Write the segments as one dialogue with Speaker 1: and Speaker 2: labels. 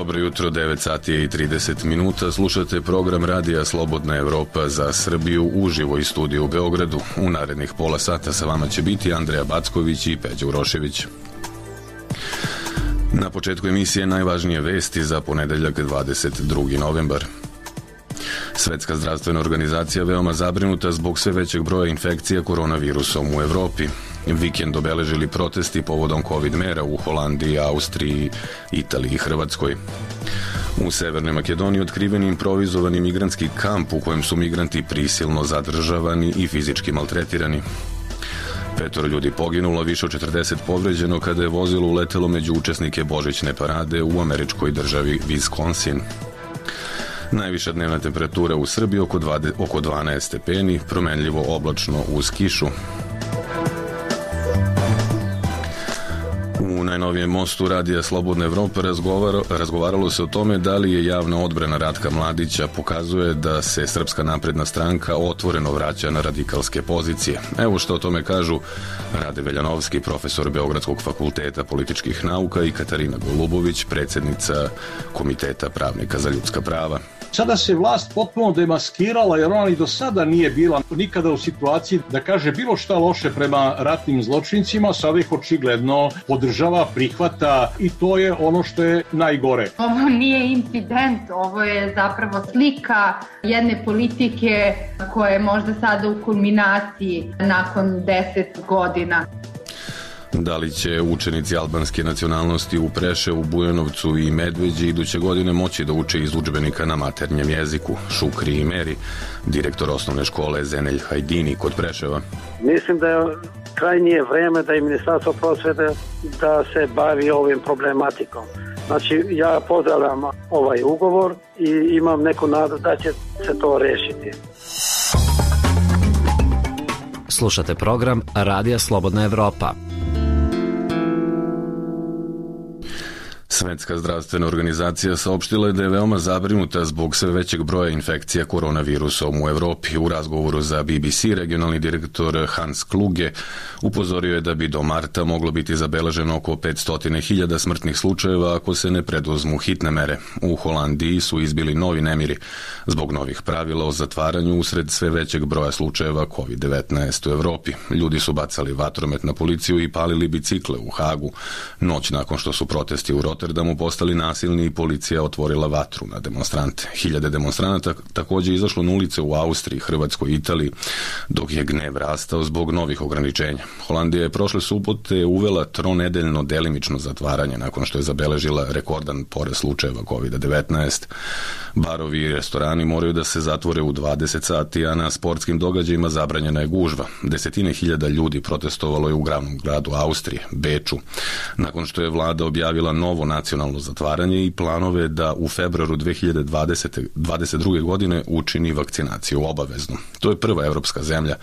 Speaker 1: Dobro jutro, 9 sati i 30 minuta. Slušate program Radija Slobodna Evropa za Srbiju uživo iz studija u Beogradu. U narednih pola sata sa vama će biti Andreja Backović i Peđa Urošević. Na početku emisije najvažnije vesti za ponedeljak 22. novembar. Svetska zdravstvena organizacija veoma zabrinuta zbog sve većeg broja infekcija koronavirusom u Evropi. Vikend obeležili protesti povodom COVID mera u Holandiji, Austriji, Italiji i Hrvatskoj. U Severnoj Makedoniji otkriven je improvizovani migrantski kamp u kojem su migranti prisilno zadržavani i fizički maltretirani. 5 ljudi poginulo, više od 40 povređeno kada je vozilo uletelo među učesnike božićne parade u američkoj državi Wisconsin. Najviša dnevna temperatura u Srbiji oko 12 stepeni, promenljivo oblačno uz kišu. U najnovijem mostu Radija Slobodna Evropa razgovaralo se o tome da li je javna odbrana Ratka Mladića pokazuje da se Srpska napredna stranka otvoreno vraća na radikalske pozicije. Evo što o tome kažu Rade Veljanovski, profesor Beogradskog fakulteta političkih nauka, i Katarina Golubović, predsjednica Komiteta pravnika za ljudska prava.
Speaker 2: Sada se vlast potpuno demaskirala jer ona i do sada nije bila nikada u situaciji da kaže bilo šta loše prema ratnim zločincima, sada ih očigledno podržava, prihvata i to je ono što je najgore.
Speaker 3: Ovo nije incident, ovo je zapravo slika jedne politike koja je možda sada u kulminaciji nakon 10 godina.
Speaker 1: Da li će učenici albanske nacionalnosti u Preševu, Bujanovcu i Medveđi iduće godine moći da uče iz udžbenika na maternjem jeziku? Šukri i Meri, direktor osnovne škole Zenelj Hajdini kod Preševa.
Speaker 4: Mislim da je krajnje vreme da i Ministarstvo prosvete da se bavi ovim problematikom. Znači, ja pozdravljam ovaj ugovor i imam neku nadu da će se to rešiti.
Speaker 5: Slušate program Radija Slobodna Evropa.
Speaker 1: Svetska zdravstvena organizacija saopštila je da je veoma zabrinuta zbog sve većeg broja infekcija koronavirusom u Evropi. U razgovoru za BBC regionalni direktor Hans Kluge upozorio je da bi do marta moglo biti zabeleženo oko 500.000 smrtnih slučajeva ako se ne preduzmu hitne mere. U Holandiji su izbili novi nemiri zbog novih pravila o zatvaranju usred sve većeg broja slučajeva COVID-19 u Evropi. Ljudi su bacali vatromet na policiju i palili bicikle u Hagu. Noć nakon što su protesti u Rotterdamu postali nasilni i policija otvorila vatru na demonstrante. Hiljade demonstranata također izašlo na ulice u Austriji, Hrvatskoj i Italiji, dok je gnev rastao zbog novih ograničenja. Holandija je prošle subote uvela tronedeljno delimično zatvaranje nakon što je zabeležila rekordan porast slučajeva COVID-19. Barovi i restorani moraju da se zatvore u 20 sati, a na sportskim događajima zabranjena je gužva. Desetine hiljada ljudi protestovalo je u glavnom gradu Austrije, Beču, nakon što je vlada objavila novo nacionalno zatvaranje i planove da u februaru 2022. godine učini vakcinaciju obaveznu. To je prva evropska zemlja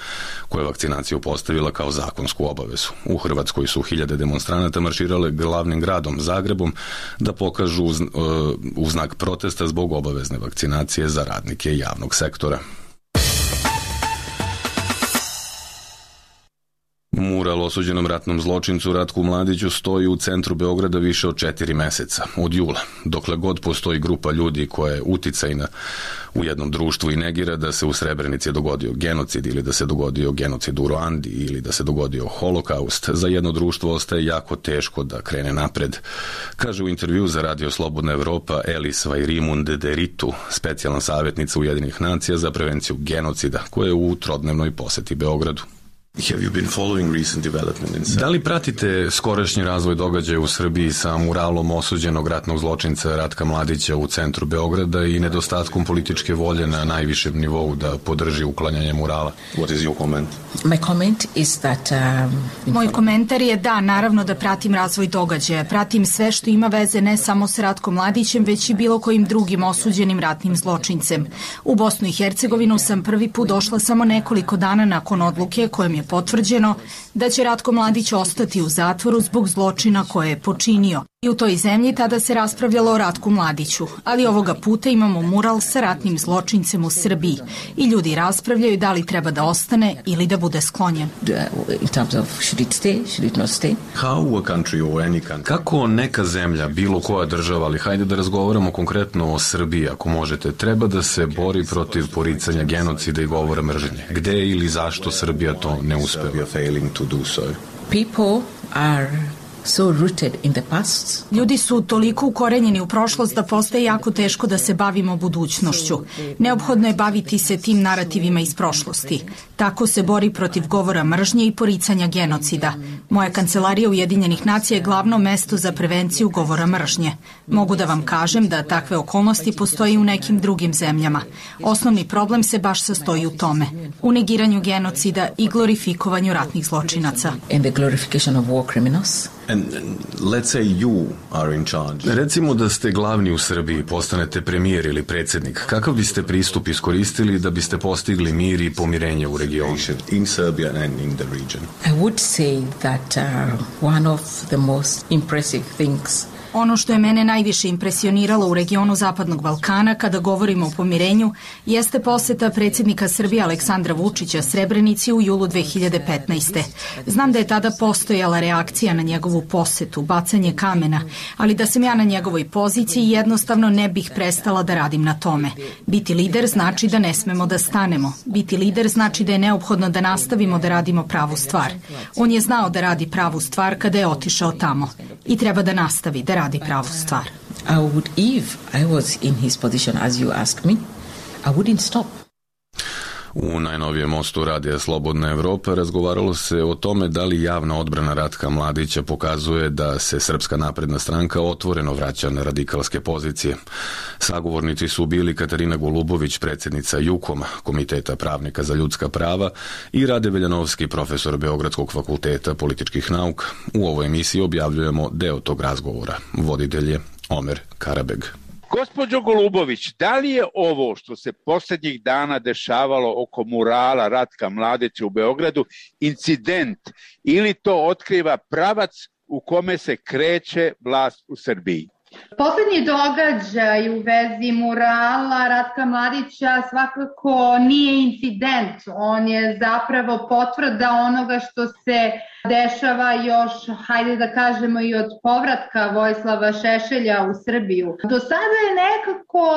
Speaker 1: koja je vakcinaciju postavila kao zakonsku obavezu. U Hrvatskoj su hiljade demonstranata marširale glavnim gradom Zagrebom da pokažu u znak protesta zbog obavezne vakcinacije za radnike javnog sektora. Mural osuđenom ratnom zločincu Ratku Mladiću stoji u centru Beograda više od 4 meseca, od jula, dokle god postoji grupa ljudi koja je uticajna u jednom društvu i negira da se u Srebrenici dogodio genocid ili da se dogodio genocid u Ruandi ili da se dogodio holokaust. Za jedno društvo ostaje jako teško da krene napred, kaže u intervju za Radio Slobodna Evropa Elis Vajrimund Deritu, specijalna savjetnica Ujedinjenih nacija za prevenciju genocida, koja je u trodnevnoj poseti Beogradu. Da li pratite skorašnji razvoj događaja u Srbiji sa muralom osuđenog ratnog zločinca Ratka Mladića u centru Beograda i nedostatkom političke volje na najvišem nivou da podrži uklanjanje murala?
Speaker 6: Moj komentar je da, naravno da pratim razvoj događaja. Pratim sve što ima veze ne samo s Ratkom Mladićem, već i bilo kojim drugim osuđenim ratnim zločincem. U Bosnu i Hercegovinu sam prvi put došla samo nekoliko dana nakon odluke kojom je potvrđeno da će Ratko Mladić ostati u zatvoru zbog zločina koje je počinio. I u toj zemlji tada se raspravljalo o Ratku Mladiću, ali ovoga puta imamo mural sa ratnim zločincem u Srbiji i ljudi raspravljaju da li treba da ostane ili da bude sklonjen.
Speaker 1: Kako neka zemlja, bilo koja država, ali hajde da razgovaramo konkretno o Srbiji, ako možete, treba da se bori protiv poricanja genocida i govora mržnje? Gde ili zašto Srbija to ne uspeva?
Speaker 7: People are so rooted in the past.
Speaker 6: Ljudi su toliko ukorenjeni u prošlost da postaje jako teško da se bavimo budućnošću. Neophodno je baviti se tim narativima iz prošlosti. Tako se bori protiv govora mržnje i poricanja genocida. Moja kancelarija Ujedinjenih nacija je glavno mesto za prevenciju govora mržnje. Mogu da vam kažem da takve okolnosti postoji u nekim drugim zemljama. Osnovni problem se baš sastoji u tome. U negiranju genocida i glorifikovanju ratnih zločinaca.
Speaker 7: And the glorification of war criminals.
Speaker 1: Recimo da ste glavni u Srbiji, postanete premijer ili predsjednik. Kakav biste pristup iskoristili da biste postigli mir i pomirenje u regionu?
Speaker 7: I would say that one of the most impressive things
Speaker 6: Ono što je mene najviše impresioniralo u regionu Zapadnog Balkana kada govorimo o pomirenju jeste poseta predsjednika Srbije Aleksandra Vučića Srebrenici u julu 2015. Znam da je tada postojala reakcija na njegovu posetu, bacanje kamena, ali da sam ja na njegovoj poziciji jednostavno ne bih prestala da radim na tome. Biti lider znači da ne smemo da stanemo. Biti lider znači da je neophodno da nastavimo da radimo pravu stvar. On je znao da radi pravu stvar kada je otišao tamo i treba da nastavi da radi pravu stvar.
Speaker 7: If I was in his position as you asked me, I wouldn't stop.
Speaker 1: U najnovijem mostu Radija Slobodna Evropa razgovaralo se o tome da li javna odbrana Ratka Mladića pokazuje da se Srpska napredna stranka otvoreno vraća na radikalske pozicije. Sagovornici su bili Katarina Golubović, predsjednica JUKOM-a, Komiteta pravnika za ljudska prava, i Rade Veljanovski, profesor Beogradskog fakulteta političkih nauka. U ovoj emisiji objavljujemo deo tog razgovora. Voditelj je Omer Karabeg.
Speaker 8: Gospođo Golubović, da li je ovo što se posljednjih dana dešavalo oko murala Ratka Mladića u Beogradu incident ili to otkriva pravac u kome se kreće vlast u Srbiji?
Speaker 3: Poslednji događaj u vezi murala Ratka Mladića svakako nije incident, on je zapravo potvrda onoga što se dešava još, hajde da kažemo, i od povratka Vojislava Šešelja u Srbiju. Do sada je nekako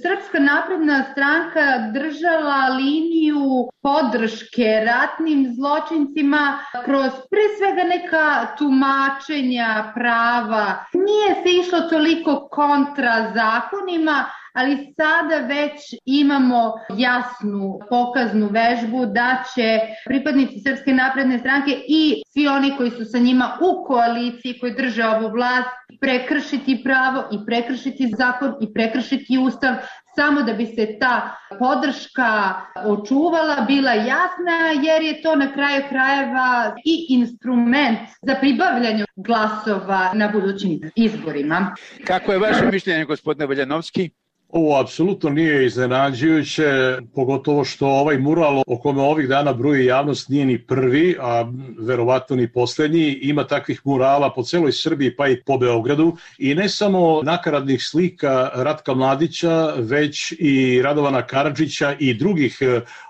Speaker 3: Srpska napredna stranka držala liniju podrške ratnim zločincima kroz pre svega neka tumačenja prava. Nije se išlo toliko kontra zakonima, ali sada već imamo jasnu pokaznu vežbu da će pripadnici Srpske napredne stranke i svi oni koji su sa njima u koaliciji, koji drže ovu vlast, prekršiti pravo i prekršiti zakon i prekršiti ustav, samo da bi se ta podrška očuvala, bila jasna, jer je to na kraju krajeva i instrument za pribavljanje glasova na budućim izborima.
Speaker 8: Kako je vaše mišljenje, gospodine Veljanovski?
Speaker 2: Ovo apsolutno nije iznenađujuće, pogotovo što ovaj mural o kome ovih dana bruji javnost nije ni prvi, a verovatno ni poslednji. Ima takvih murala po celoj Srbiji pa i po Beogradu i ne samo nakaradnih slika Ratka Mladića, već i Radovana Karadžića i drugih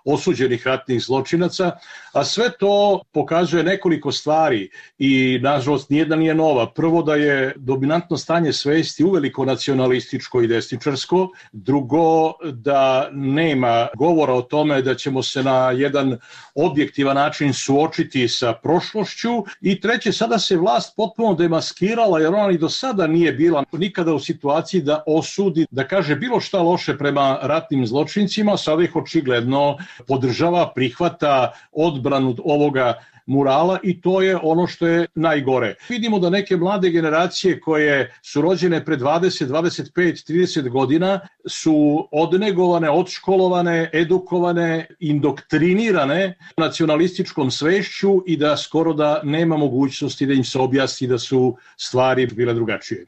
Speaker 2: osuđenih ratnih zločinaca, a sve to pokazuje nekoliko stvari i nažalost nijedna nije nova. Prvo, da je dominantno stanje svesti uveliko nacionalističko i desničarsko. Drugo, da nema govora o tome da ćemo se na jedan objektivan način suočiti sa prošlošću. I treće, sada se vlast potpuno demaskirala, jer ona i do sada nije bila nikada u situaciji da osudi, da kaže bilo šta loše prema ratnim zločincima. Sada ih očigledno podržava, prihvata odbranu ovoga murala i to je ono što je najgore. Vidimo da neke mlade generacije koje su rođene pre 20, 25, 30 godina su odnegovane, odškolovane, edukovane, indoktrinirane nacionalističkom svešću i da skoro da nema mogućnosti da im se objasni da su stvari bile drugačije.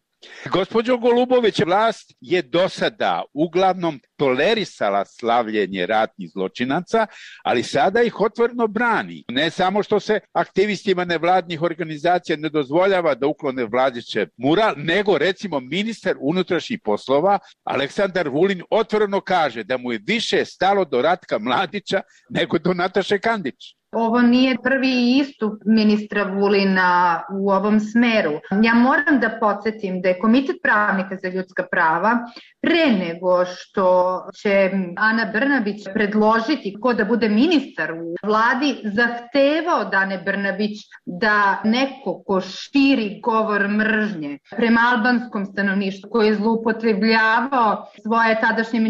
Speaker 8: Gospođo Golubović, vlast je do sada uglavnom tolerisala slavljenje ratnih zločinaca, ali sada ih otvoreno brani. Ne samo što se aktivistima nevladnih organizacija ne dozvoljava da uklone Vladićev mural, nego recimo ministar unutrašnjih poslova Aleksandar Vulin otvoreno kaže da mu je više stalo do Ratka Mladića nego do Nataše Kandić.
Speaker 3: Ovo nije prvi istup ministra Vulina u ovom smeru. Ja moram da podsjetim da je Komitet pravnika za ljudska prava pre nego što će Ana Brnabić predložiti ko da bude ministar u vladi, zahtevao od Ane Brnabić da neko ko širi govor mržnje prema albanskom stanovništvu, koji je zloupotrebljavao svoje tadašnje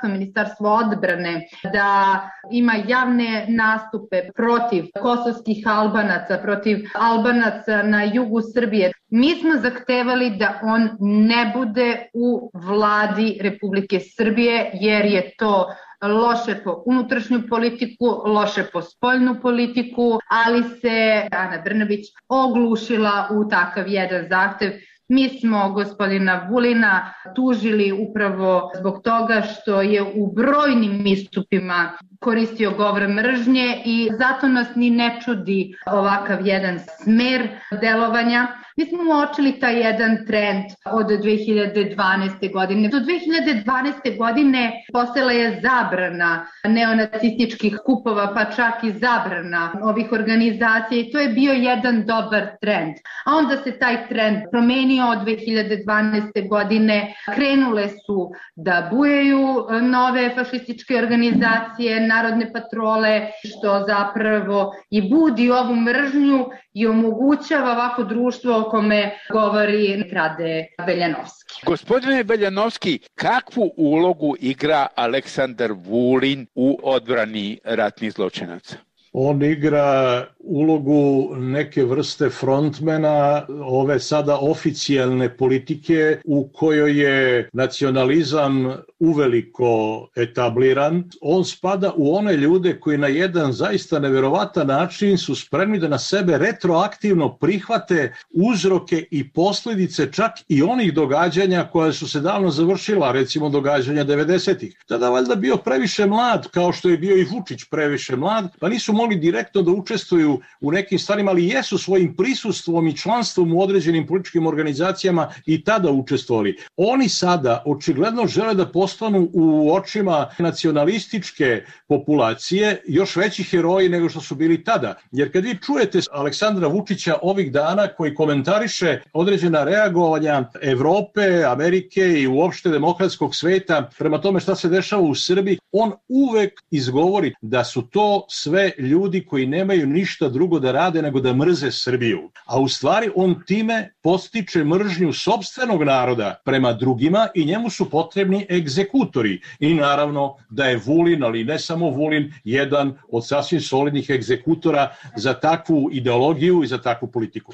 Speaker 3: ministarstvo odbrane, da ima javne nastupe protiv kosovskih Albanaca, protiv Albanaca na jugu Srbije. Mi smo zahtevali da on ne bude u vladi Republike Srbije, jer je to loše po unutrašnju politiku, loše po spoljnu politiku, ali se Ana Brnabić oglušila u takav jedan zahtev. Mi smo gospodina Vulina tužili upravo zbog toga što je u brojnim istupima koristio govor mržnje i zato nas ni ne čudi ovakav jedan smer delovanja. Mi smo uočili taj jedan trend od 2012. godine. Do 2012. godine postojala je zabrana neonacističkih skupova, pa čak i zabrana ovih organizacija i to je bio jedan dobar trend. A onda se taj trend promenio od 2012. godine. Krenule su da bujaju nove fašističke organizacije, narodne patrole, što zapravo i budi ovu mržnju i omogućava ovako društvo o kome govori Rade Beljanovski.
Speaker 8: Gospodine Beljanovski, kakvu ulogu igra Aleksandar Vulin u odbrani ratnih zločinaca?
Speaker 2: On igra ulogu neke vrste frontmena ove sada oficijalne politike u kojoj je nacionalizam uveliko etabliran. On spada u one ljude koji na jedan zaista neverovatan način su spremni da na sebe retroaktivno prihvate uzroke i posljedice čak i onih događanja koja su se davno završila, recimo događanja 90-ih. Tada valjda bio previše mlad, kao što je bio i Vučić previše mlad, pa nisu mogli direktno da učestvuju u nekim stvarima, ali jesu svojim prisustvom i članstvom u određenim političkim organizacijama i tada učestvovali. Oni sada očigledno žele da postanu u očima nacionalističke populacije još veći heroji nego što su bili tada. Jer kad vi čujete Aleksandra Vučića ovih dana koji komentariše određena reagovanja Evrope, Amerike i uopšte demokratskog sveta prema tome šta se dešava u Srbiji, on uvek izgovori da su to sve ljudi koji nemaju ništa drugo da rade nego da mrze Srbiju. A u stvari on time podstiče mržnju sopstvenog naroda prema drugima i njemu su potrebni egzekutori. I naravno da je Vulin, ali ne samo Vulin, jedan od sasvim solidnih egzekutora za takvu ideologiju i za takvu politiku.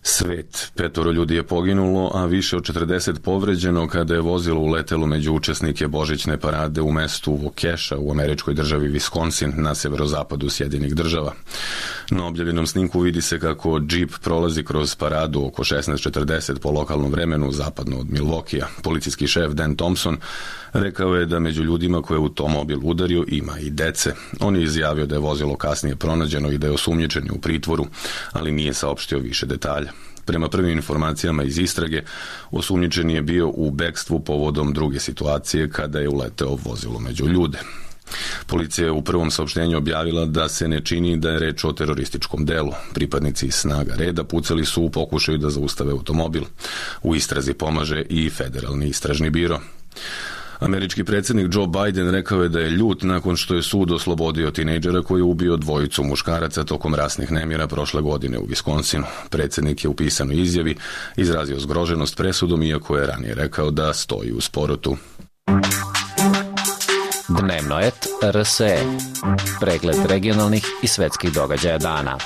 Speaker 1: Svet. 5 ljudi je poginulo, a više od 40 povređeno kada je vozilo uletelo među učesnike Božićne parade u mestu Waukesha u američkoj državi Wisconsin na severozapadu Sjedinjenih Država. Na objavljenom snimku vidi se kako džip prolazi kroz paradu oko 16:40 po lokalnom vremenu zapadno od Milwaukeea. Policijski šef Dan Thompson rekao je da među ljudima koje je automobil udario ima i dece. On je izjavio da je vozilo kasnije pronađeno i da je osumnjičen u pritvoru, ali nije saopštio više detalja. Prema prvim informacijama iz istrage, osumnjičen je bio u bekstvu povodom druge situacije kada je uleteo vozilo među ljude. Policija je u prvom saopštenju objavila da se ne čini da je reč o terorističkom delu. Pripadnici snaga reda pucali su u pokušaju da zaustave automobil. U istrazi pomaže i Federalni istražni biro. Američki predsjednik Joe Biden rekao je da je ljut nakon što je sud oslobodio tinejdžera koji je ubio 2 muškaraca tokom rasnih nemira prošle godine u Wisconsinu. Predsjednik je u pisanoj izjavi izrazio zgroženost presudom, iako je ranije rekao da stoji uz porotu.
Speaker 5: Dnevno et RSE. Pregled regionalnih i svetskih događaja dana.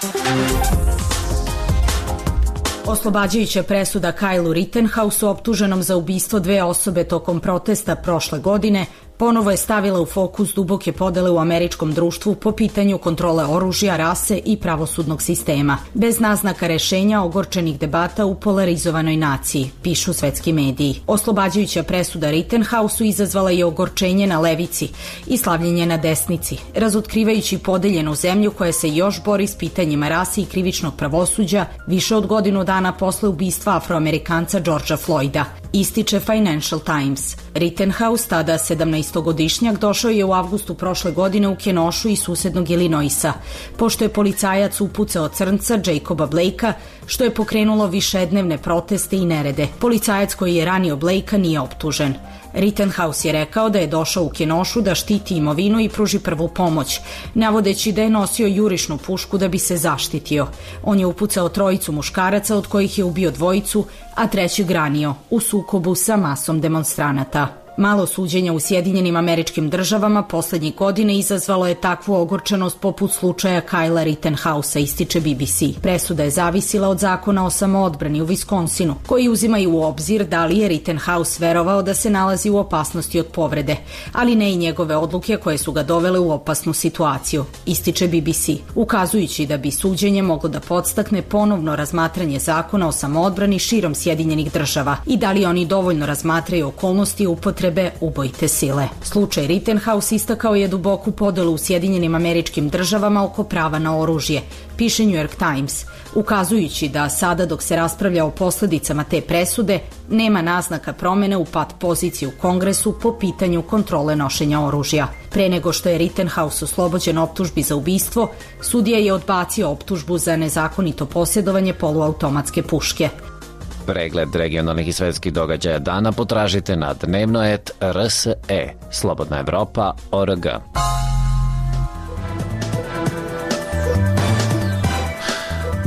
Speaker 6: Oslobađajuća presuda Kyleu Rittenhousu, optuženom za ubistvo 2 osobe tokom protesta prošle godine, ponovo je stavila u fokus duboke podele u američkom društvu po pitanju kontrole oružja, rase i pravosudnog sistema, bez naznaka rešenja ogorčenih debata u polarizovanoj naciji, pišu svetski mediji. Oslobađajuća presuda Rittenhausu izazvala je ogorčenje na levici i slavljenje na desnici, razotkrivajući podeljenu zemlju koja se još bori s pitanjima rase i krivičnog pravosuđa više od godinu dana posle ubistva Afroamerikanca Georgea Floyda, ističe Financial Times. Rittenhouse, tada 17-godišnjak, došao je u avgustu prošle godine u Kenošu iz susednog Illinoisa, pošto je policajac upucao crnca Jacoba Blakea, što je pokrenulo višednevne proteste i nerede. Policajac koji je ranio Blakea nije optužen. Rittenhouse je rekao da je došao u Kenošu da štiti imovinu i pruži prvu pomoć, navodeći da je nosio jurišnu pušku da bi se zaštitio. On je upucao 3 muškaraca, od kojih je ubio 2, a 3 ranio u sukobu sa masom demonstranata. Malo suđenja u Sjedinjenim Američkim Državama poslednjih godine izazvalo je takvu ogorčenost poput slučaja Kylea Rittenhausa, ističe BBC. Presuda je zavisila od zakona o samoodbrani u Viskonsinu, koji uzimaju u obzir da li je Rittenhouse verovao da se nalazi u opasnosti od povrede, ali ne i njegove odluke koje su ga dovele u opasnu situaciju, ističe BBC, ukazujući da bi suđenje moglo da podstakne ponovno razmatranje zakona o samoodbrani širom Sjedinjenih Država i da li oni dovoljno razmatraju okolnosti upotrebe ubojite sile. Slučaj Rittenhouse istakao je duboku podelu u Sjedinjenim Američkim Državama oko prava na oružje, piše New York Times, ukazujući da sada dok se raspravlja o posledicama te presude, nema naznaka promene u pat poziciji u Kongresu po pitanju kontrole nošenja oružja. Pre nego što je Rittenhouse oslobođen optužbi za ubistvo, sudija je odbacio optužbu za nezakonito posjedovanje poluautomatske puške.
Speaker 5: Pregled regionalnih i svetskih događaja dana potražite na dnevno.rse, slobodnaevropa.org.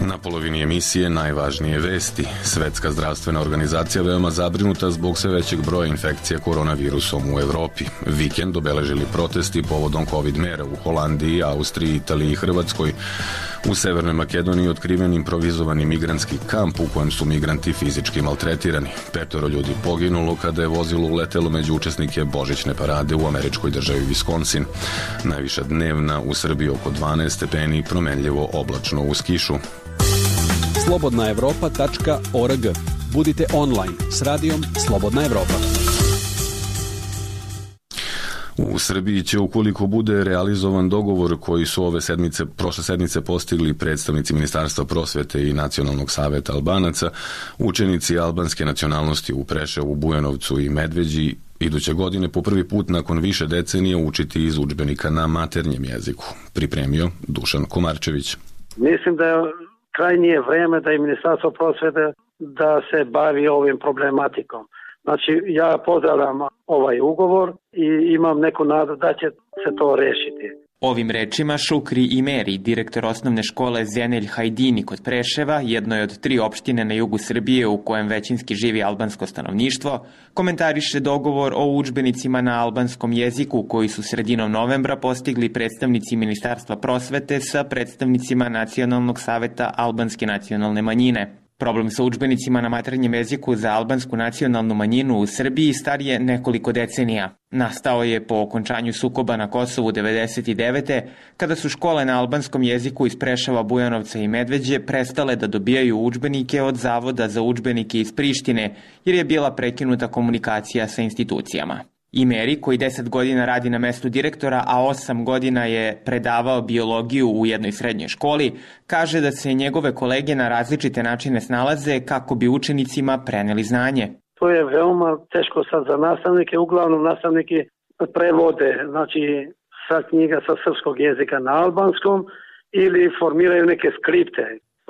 Speaker 1: Na polovini emisije najvažnije vesti. Svetska zdravstvena organizacija veoma zabrinuta zbog sve većeg broja infekcija koronavirusom u Evropi. Vikend obeležili protesti povodom COVID mera u Holandiji, Austriji, Italiji i Hrvatskoj. U Severnoj Makedoniji otkriven improvizovani migrantski kamp u kojem su migranti fizički maltretirani. 5 ljudi poginulo kada je vozilo uletelo među učesnike božićne parade u američkoj državi Wisconsin. Najviša dnevna u Srbiji oko 12 stepeni, promenljivo oblačno uz kišu.
Speaker 9: slobodnaevropa.org. Budite online s radijom Slobodna Evropa.
Speaker 1: U Srbiji će, ukoliko bude realizovan dogovor koji su prošle sedmice postigli predstavnici Ministarstva prosvete i Nacionalnog saveta Albanaca, učenici albanske nacionalnosti u Preševu, Bujanovcu i Medveđi iduće godine po prvi put nakon više decenija učiti iz udžbenika na maternjem jeziku, pripremio Dušan Komarčević.
Speaker 4: Mislim da je krajnje vreme da i Ministarstvo prosvete da se bavi ovim problematikom. Znači, ja pozdravljam ovaj ugovor i imam neku nadu da će se to rešiti.
Speaker 10: Ovim rečima Šukri Imeri, direktor osnovne škole Zenelj Hajdini kod Preševa, jednoj od 3 opštine na jugu Srbije u kojem većinski živi albansko stanovništvo, komentariše dogovor o udžbenicima na albanskom jeziku koji su sredinom novembra postigli predstavnici Ministarstva prosvete sa predstavnicima Nacionalnog saveta albanske nacionalne manjine. Problem sa udžbenicima na maternjem jeziku za albansku nacionalnu manjinu u Srbiji star je nekoliko decenija. Nastao je po okončanju sukoba na Kosovu 1999. kada su škole na albanskom jeziku iz Preševa, Bujanovca i Medveđe prestale da dobijaju udžbenike od Zavoda za udžbenike iz Prištine jer je bila prekinuta komunikacija sa institucijama. Imeri, koji 10 godina radi na mestu direktora, a 8 godina je predavao biologiju u jednoj srednjoj školi, kaže da se njegove kolege na različite načine snalaze kako bi učenicima preneli znanje.
Speaker 4: To je veoma teško sad za nastavnike, uglavnom nastavniki prevode, znači sa knjiga sa srpskog jezika na albanskom ili formiraju neke skripte.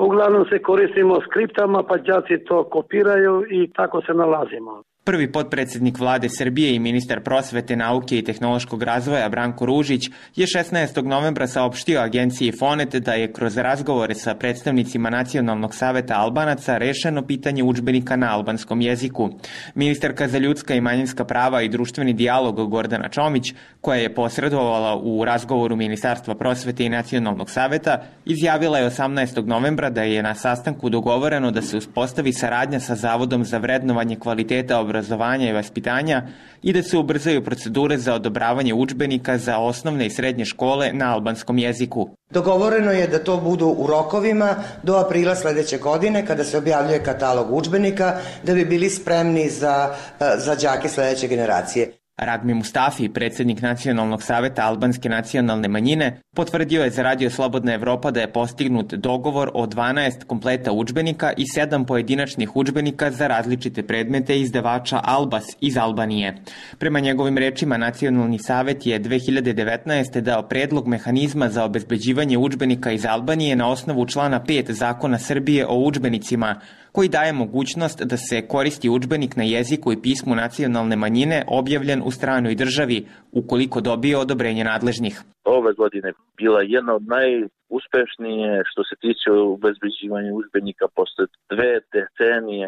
Speaker 4: Uglavnom se koristimo skriptama, pa đaci to kopiraju i tako se nalazimo.
Speaker 10: Prvi potpredsednik vlade Srbije i ministar prosvete, nauke i tehnološkog razvoja Branko Ružić je 16. novembra saopštio agenciji Fonet da je kroz razgovore sa predstavnicima Nacionalnog saveta Albanaca rešeno pitanje udžbenika na albanskom jeziku. Ministarka za ljudska i manjinska prava i društveni dijalog Gordana Čomić, koja je posredovala u razgovoru Ministarstva prosvete i Nacionalnog saveta, izjavila je 18. novembra da je na sastanku dogovoreno da se uspostavi saradnja sa Zavodom za vrednovanje kvaliteta obrazovanja obrazovanja i vaspitanja i da se ubrzaju procedure za odobravanje udžbenika za osnovne i srednje škole na albanskom jeziku.
Speaker 11: Dogovoreno je da to budu u rokovima do aprila sledeće godine kada se objavljuje katalog udžbenika da bi bili spremni za đake sledeće generacije.
Speaker 10: Ragmi Mustafi, predsjednik Nacionalnog saveta albanske nacionalne manjine, potvrdio je za Radio Slobodna Evropa da je postignut dogovor o 12 kompleta udžbenika i 7 pojedinačnih udžbenika za različite predmete izdavača Albas iz Albanije. Prema njegovim rečima, Nacionalni savet je 2019. dao predlog mehanizma za obezbeđivanje udžbenika iz Albanije na osnovu člana 5 Zakona Srbije o udžbenicima, koji daje mogućnost da se koristi udžbenik na jeziku i pismu nacionalne manjine objavljen u stranoj državi, ukoliko dobije odobrenje nadležnih.
Speaker 12: Ove godine bila jedna od najuspešnije što se tiče obezbeđivanja udžbenika posle 2 decenije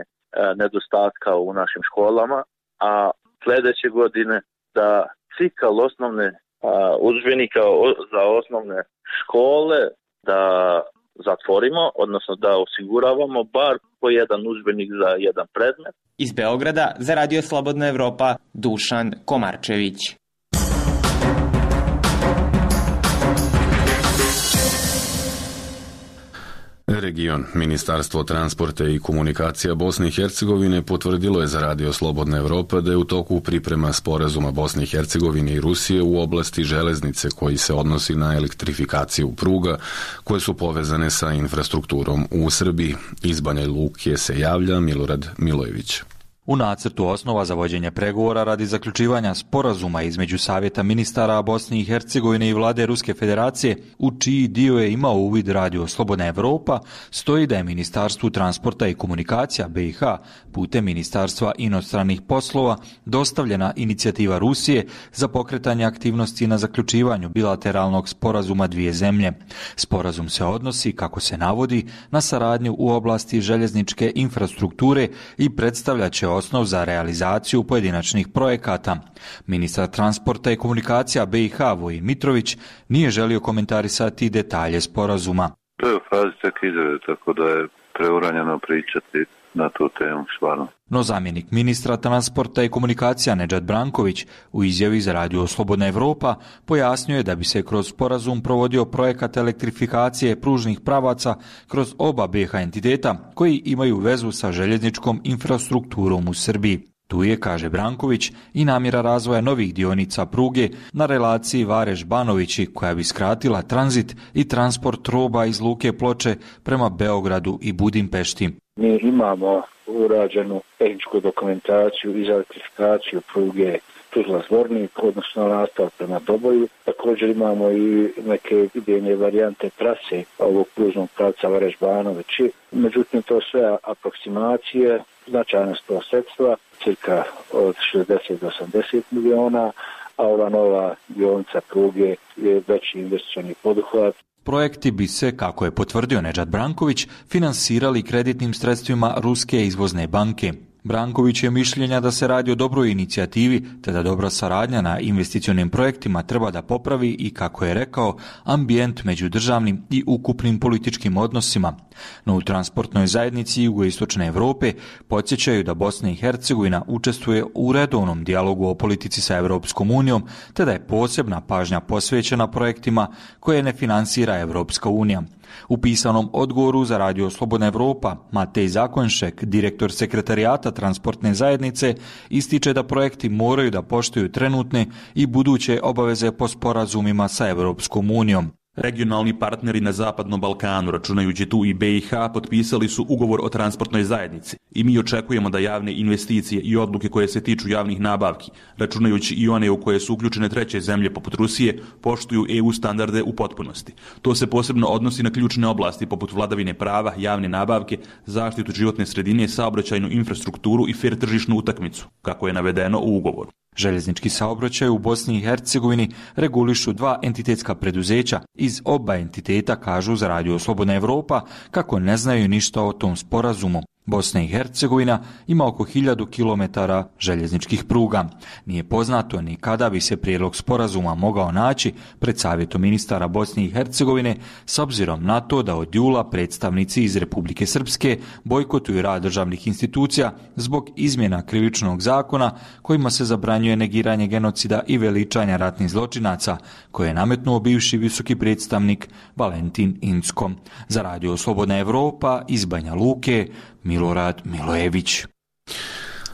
Speaker 12: nedostatka u našim školama, a sledeće godine da cikl osnovne udžbenika za osnovne škole da zatvorimo, odnosno da osiguravamo bar po jedan udžbenik za jedan predmet.
Speaker 10: Iz Beograda za Radio Slobodna Evropa, Dušan Komarčević.
Speaker 1: Region. Ministarstvo transporta i komunikacija Bosne i Hercegovine potvrdilo je za Radio Slobodna Evropa da je u toku priprema sporazuma Bosne i Hercegovine i Rusije u oblasti železnice koji se odnosi na elektrifikaciju pruga koje su povezane sa infrastrukturom u Srbiji. Iz Banja Luke se javlja Milorad Milojević.
Speaker 13: U nacrtu osnova za vođenje pregovora radi zaključivanja sporazuma između Savjeta ministara Bosne i Hercegovine i vlade Ruske federacije, u čiji dio je imao uvid Radio Slobodna Evropa, stoji da je Ministarstvu transporta i komunikacija BiH putem Ministarstva inostranih poslova dostavljena inicijativa Rusije za pokretanje aktivnosti na zaključivanju bilateralnog sporazuma dvije zemlje. Sporazum se odnosi, kako se navodi, na saradnju u oblasti željezničke infrastrukture i predstavlja će osnov za realizaciju pojedinačnih projekata. Ministar transporta i komunikacija BiH Vojin Mitrović nije želio komentarisati detalje sporazuma.
Speaker 14: To je u fazi tek izrade, tako da je preuranjeno pričati na tu temu stvarno.
Speaker 13: No zamjenik ministra transporta i komunikacija Nedžad Branković u izjavi za Radio Slobodna Evropa pojasnio je da bi se kroz sporazum provodio projekat elektrifikacije pružnih pravaca kroz oba BiH entiteta koji imaju vezu sa željezničkom infrastrukturom u Srbiji. Tu je, kaže Branković, i namjera razvoja novih dionica pruge na relaciji Vareš-Banovići koja bi skratila tranzit i transport roba iz Luke Ploče prema Beogradu i Budimpešti.
Speaker 15: Mi imamo urađenu tehničku dokumentaciju i za elektrifikaciju pruge Tuzla-Zvornik, odnosno nastavak prema Doboju. Također imamo i neke idejne varijante trase ovog pružnog pravca Vareš-Banovići. Međutim, to sve aproksimacije, značajna su to sredstva, cirka od 60 do 80 miliona, a ova nova dionica pruge je veći investicioni poduhvat.
Speaker 13: Projekti bi se, kako je potvrdio Nedžad Branković, finansirali kreditnim sredstvima Ruske izvozne banke. Branković je mišljenja da se radi o dobroj inicijativi, te da dobra saradnja na investicionim projektima treba da popravi i, kako je rekao, ambijent među državnim i ukupnim političkim odnosima. No u transportnoj zajednici jugoistočne Evrope podsjećaju da Bosna i Hercegovina učestvuje u redovnom dijalogu o politici sa Evropskom unijom, te da je posebna pažnja posvećena projektima koje ne finansira Evropska unija. U pisanom odgovoru za Radio Slobodna Evropa, Matej Zakonšek, direktor sekretarijata transportne zajednice, ističe da projekti moraju da poštuju trenutne i buduće obaveze po sporazumima sa Evropskom unijom.
Speaker 16: Regionalni partneri na Zapadnom Balkanu, računajući tu i BiH, potpisali su ugovor o transportnoj zajednici i mi očekujemo da javne investicije i odluke koje se tiču javnih nabavki, računajući i one u koje su uključene treće zemlje poput Rusije, poštuju EU standarde u potpunosti. To se posebno odnosi na ključne oblasti poput vladavine prava, javne nabavke, zaštitu životne sredine, saobraćajnu infrastrukturu i fer tržišnu utakmicu, kako je navedeno u ugovoru.
Speaker 13: Željeznički saobraćaj u Bosni i Hercegovini regulišu dva entitetska preduzeća. Iz oba entiteta kažu za Radio Slobodna Evropa kako ne znaju ništa o tom sporazumu. Bosna i Hercegovina ima oko 1000 km željezničkih pruga. Nije poznato ni kada bi se prijedlog sporazuma mogao naći pred Savjetom ministara Bosne i Hercegovine, s obzirom na to da od jula predstavnici iz Republike Srpske bojkotuju rad državnih institucija zbog izmjena krivičnog zakona kojima se zabranjuje negiranje genocida i veličanja ratnih zločinaca, koje je nametnuo bivši visoki predstavnik Valentin Incko. Za Radio Slobodna Evropa iz Banja Luke, Milorad Milojević.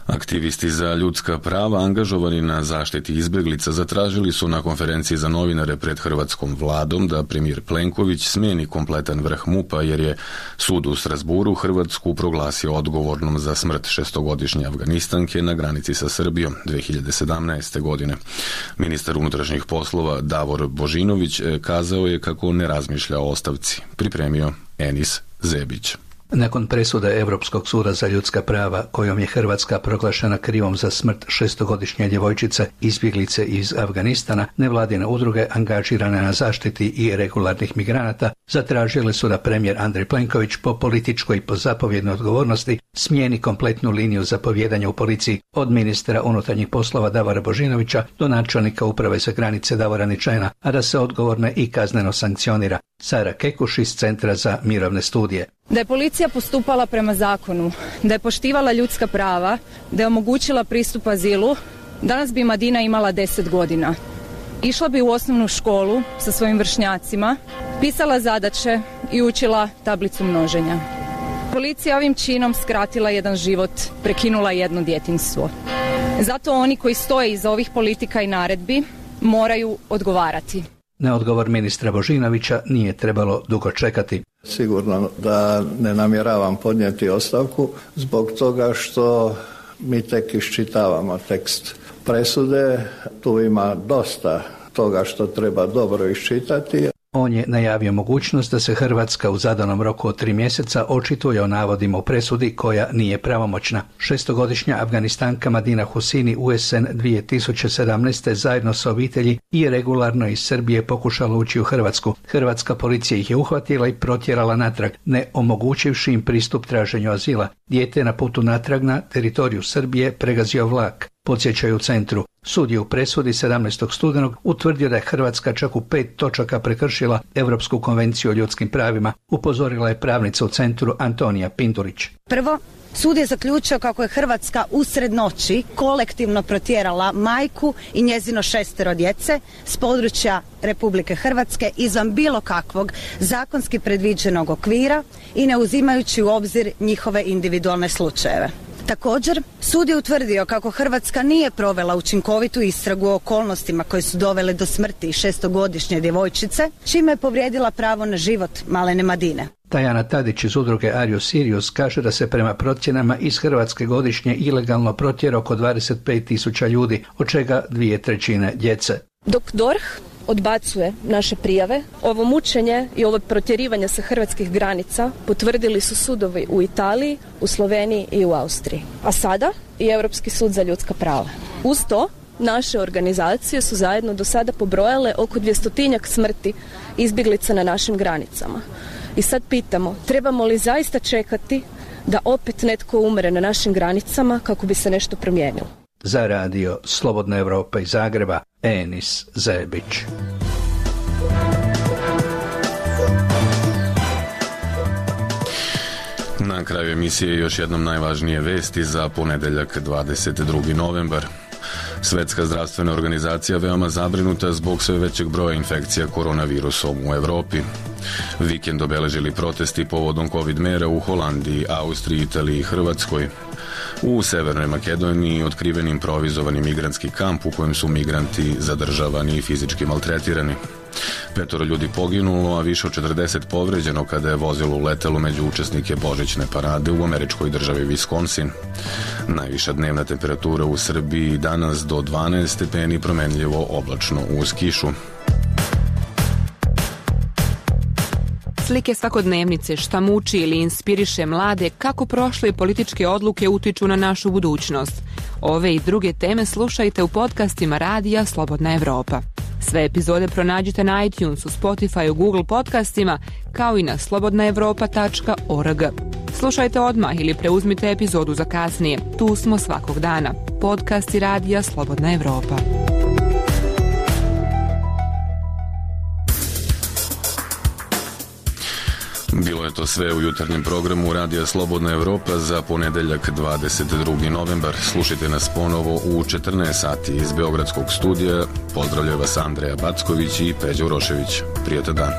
Speaker 1: Aktivisti za ljudska prava angažovani na zaštiti izbjeglica zatražili su na konferenciji za novinare pred hrvatskom vladom da premijer Plenković smijeni kompletan vrh MUP-a jer je sud u Strasburu Hrvatsku proglasio odgovornom za smrt 6-godišnje Afganistanke na granici sa Srbijom 2017. godine. Ministar unutrašnjih poslova Davor Božinović kazao je kako ne razmišlja o ostavci. Pripremio Enis Zebić.
Speaker 17: Nakon presude Europskog suda za ljudska prava kojom je Hrvatska proglašena krivom za smrt 6-godišnje djevojčice izbjeglice iz Afganistana, nevladine udruge angažirane na zaštiti i regularnih migranata zatražile su da premijer Andrej Plenković po političkoj i po zapovjednoj odgovornosti smijeni kompletnu liniju zapovjedanja u policiji od ministra unutarnjih poslova Davora Božinovića do načelnika uprave za granice Davora Ničajna, a da se odgovorne i kazneno sankcionira. Sara Kekuš iz Centra za mirovne studije.
Speaker 18: Da je policija postupala prema zakonu, da je poštivala ljudska prava, da je omogućila pristup azilu, danas bi Madina imala 10 godina. Išla bi u osnovnu školu sa svojim vršnjacima, pisala zadaće i učila tablicu množenja. Policija ovim činom skratila jedan život, prekinula jedno djetinjstvo. Zato oni koji stoje iza ovih politika i naredbi moraju odgovarati.
Speaker 17: Na odgovor ministra Božinovića nije trebalo dugo čekati.
Speaker 19: Sigurno da ne namjeravam podnijeti ostavku zbog toga što mi tek iščitavamo tekst presude. Tu ima dosta toga što treba dobro iščitati.
Speaker 17: On je najavio mogućnost da se Hrvatska u zadanom roku od 3 mjeseca očituje o navodima u presudi koja nije pravomoćna. 6-godišnja Afganistanka Madina Husini u jesen 2017. zajedno sa obitelji i regularno iz Srbije pokušala ući u Hrvatsku. Hrvatska policija ih je uhvatila i protjerala natrag, ne omogućivši im pristup traženju azila. Dijete je na putu natrag na teritoriju Srbije pregazio vlak. Podsjećaju u centru. Sud je u presudi 17. studenog utvrdio da je Hrvatska čak u 5 točaka prekršila Europsku konvenciju o ljudskim pravima, upozorila je pravnica u centru Antonija Pindurić.
Speaker 20: Prvo, sud je zaključio kako je Hrvatska usred noći kolektivno protjerala majku i njezino 6 djece s područja Republike Hrvatske izvan bilo kakvog zakonski predviđenog okvira i ne uzimajući u obzir njihove individualne slučajeve. Također, sud je utvrdio kako Hrvatska nije provela učinkovitu istragu o okolnostima koje su dovele do smrti 6-godišnje djevojčice, čime je povrijedila pravo na život malene Madine.
Speaker 17: Tajana Tadić iz udruge Arius Sirius kaže da se prema procjenama iz Hrvatske godišnje ilegalno protjera oko 25.000 ljudi, od čega 2/3 djece.
Speaker 21: Dok DORH odbacuje naše prijave, ovo mučenje i ovo protjerivanje sa hrvatskih granica potvrdili su sudovi u Italiji, u Sloveniji i u Austriji. A sada i Europski sud za ljudska prava. Uz to, naše organizacije su zajedno do sada pobrojale oko 200-tinjak smrti izbjeglica na našim granicama. I sad pitamo, trebamo li zaista čekati da opet netko umre na našim granicama kako bi se nešto promijenilo?
Speaker 17: Za Radio Slobodna Evropa iz Zagreba, Enis Zebić.
Speaker 1: Na kraju emisije još jednom najvažnije vesti za ponedjeljak 22. novembar. Svetska zdravstvena organizacija veoma zabrinuta zbog sve većeg broja infekcija koronavirusom u Evropi. Vikend obeležili protesti povodom COVID mera u Holandiji, Austriji, Italiji i Hrvatskoj. U Severnoj Makedoniji otkriven improvizovani migrantski kamp u kojem su migranti zadržavani i fizički maltretirani. 5 ljudi poginulo, a više od 40 povređeno kada je vozilo uletelo među učesnike božićne parade u američkoj državi Wisconsin. Najviša dnevna temperatura u Srbiji danas do 12 stepeni, promenljivo oblačno uz kišu.
Speaker 22: Slike svakodnevnice, šta muči ili inspiriše mlade, kako prošle političke odluke utiču na našu budućnost. Ove i druge teme slušajte u podcastima Radija Slobodna Evropa. Sve epizode pronađite na iTunesu, Spotifyu, Google podcastima, kao i na slobodnaevropa.org. Slušajte odmah ili preuzmite epizodu za kasnije. Tu smo svakog dana. Podcast i radija Slobodna Evropa.
Speaker 1: Bilo je to sve u jutarnjem programu Radija Slobodna Evropa za ponedeljak 22. novembar. Slušajte nas ponovo u 14 sati iz Beogradskog studija. Pozdravljaju vas Andreja Backović i Peđa Urošević. Prijatan dan.